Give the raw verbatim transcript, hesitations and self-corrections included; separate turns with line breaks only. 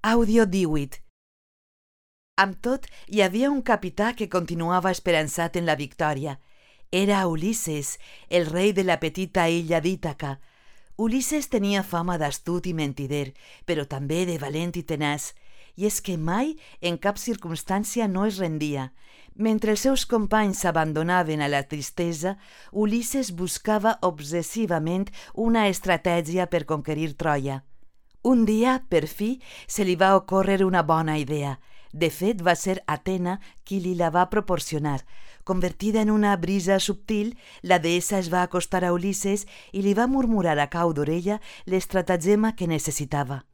Àudio díhuit. Amb tot, hi havia un capità que continuava esperançat en la victòria. Era Ulisses, el rei de la petita illa d'Ítaca. Ulisses tenia fama d'astut i mentider, però també de valent i tenaç, i és que mai, en cap circumstància, no es rendia. Mentre els seus companys s'abandonaven a la tristesa, Ulisses buscava obsessivament una estratègia per conquerir Troia. Un dia, per fi, se li va ocórrer una bona idea. De fet, va ser Atena qui li la va proporcionar. Convertida en una brisa subtil, la deessa es va acostar a Ulisses i li va murmurar a cau d'orella l'estratagema que necessitava.